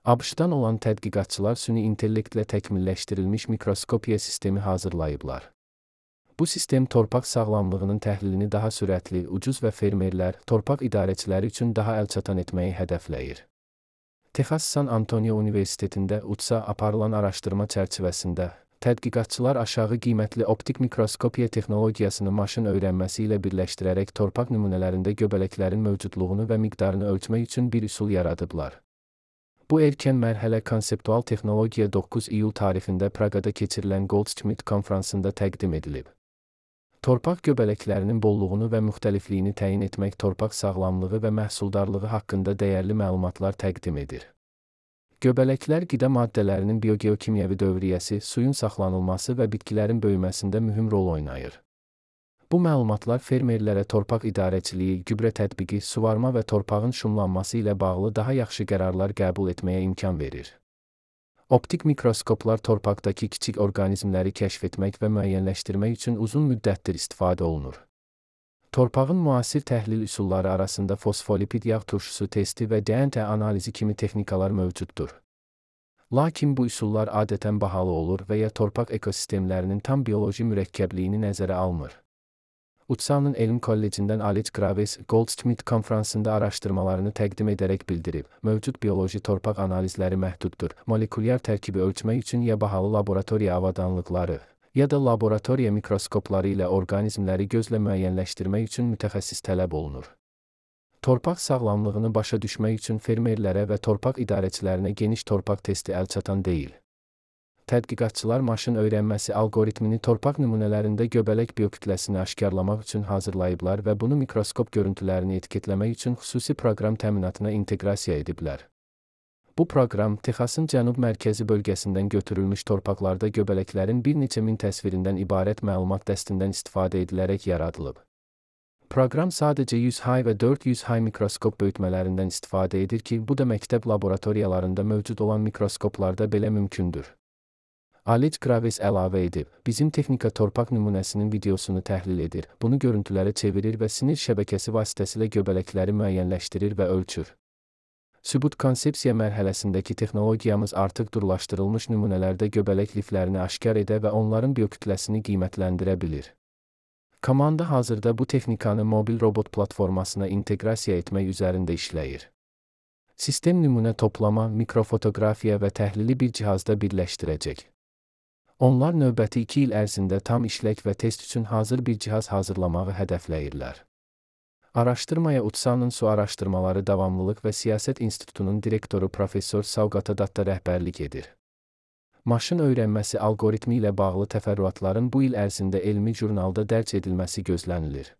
ABŞ-dan olan tədqiqatçılar süni intellektlə təkmilləşdirilmiş mikroskopiya sistemi hazırlayıblar. Bu sistem torpaq sağlamlığının təhlilini daha sürətli, ucuz və fermerlər, torpaq idarəçiləri üçün daha əlçatan etməyi hədəfləyir. Texas San Antonio Universitetində UTSA aparılan araşdırma çərçivəsində tədqiqatçılar aşağı qiymətli optik mikroskopiya texnologiyasını maşın öyrənməsi ilə birləşdirərək torpaq nümunələrində göbələklərin mövcudluğunu və miqdarını ölçmək üçün bir üsul yaradıblar. Bu erkən mərhələ konseptual texnologiya 9 iyul tarixində Praqada keçirilən Goldschmidt konfransında təqdim edilib. Torpaq göbələklərinin bolluğunu və müxtəlifliyini təyin etmək torpaq sağlamlığı və məhsuldarlığı haqqında dəyərli məlumatlar təqdim edir. Göbələklər qida maddələrinin biogeokimyəvi dövriyyəsi, suyun saxlanılması və bitkilərin böyüməsində mühüm rol oynayır. Bu məlumatlar fermerlərə torpaq idarəçiliyi, gübrə tətbiqi, suvarma və torpağın şumlanması ilə bağlı daha yaxşı qərarlar qəbul etməyə imkan verir. Optik mikroskoplar torpaqdakı kiçik orqanizmləri kəşf etmək və müəyyənləşdirmək üçün uzun müddətdir istifadə olunur. Torpağın müasir təhlil üsulları arasında fosfolipid yağ turşusu testi və DNT analizi kimi texnikalar mövcuddur. Lakin bu üsullar adətən bahalı olur və ya torpaq ekosistemlərinin tam bioloji mürəkkəbliyini nəzərə almır. UTSA-nın Elm Kollecindən Alex Graves, Goldschmidt konfransında araşdırmalarını təqdim edərək bildirib, mövcud bioloji torpaq analizləri məhduddur, molekulyar tərkibi ölçmək üçün ya bahalı laboratoriya avadanlıqları, ya da laboratoriya mikroskopları ilə orqanizmləri gözlə müəyyənləşdirmək üçün mütəxəssis tələb olunur. Torpaq sağlamlığını başa düşmək üçün fermerlərə və torpaq idarəçilərinə geniş torpaq testi əlçatan deyil. Tədqiqatçılar maşın öyrənməsi alqoritmini torpaq nümunələrində göbələk biokütləsini aşkarlamaq üçün hazırlayıblar və bunu mikroskop görüntülərini etiketləmək üçün xüsusi proqram təminatına inteqrasiya ediblər. Bu proqram Texasın cənub-mərkəzi bölgəsindən götürülmüş torpaqlarda göbələklərin bir neçə min təsvirindən ibarət məlumat dəstindən istifadə edilərək yaradılıb. Proqram sadəcə 100 hay və 400 hay mikroskop böyütmələrindən istifadə edir ki, bu da məktəb laboratoriyalarında mövcud olan mikroskoplarda belə mümkündür. Alex Graves əlavə edib, bizim texnika torpaq nümunəsinin videosunu təhlil edir, bunu görüntülərə çevirir və sinir şəbəkəsi vasitəsilə göbələkləri müəyyənləşdirir və ölçür. Sübut konsepsiya mərhələsindəki texnologiyamız artıq durlaşdırılmış nümunələrdə göbələk liflərini aşkar edə və onların biokütləsini qiymətləndirə bilir. Komanda hazırda bu texnikanı mobil robot platformasına inteqrasiya etmək üzərində işləyir. Sistem nümunə toplama, mikrofotoqrafiya və təhlili bir cihazda birləşdirəcək. Onlar növbəti 2 il ərzində tam işlək və test üçün hazır bir cihaz hazırlamağı hədəfləyirlər. Araşdırmaya UTSA-nın Su Araşdırmaları Davamlılıq və Siyasət İnstitutunun direktoru Professor Savgata Datta rəhbərlik edir. Maşın öyrənməsi alqoritmi ilə bağlı təfərrüatların bu il ərzində elmi jurnalda dərc edilməsi gözlənilir.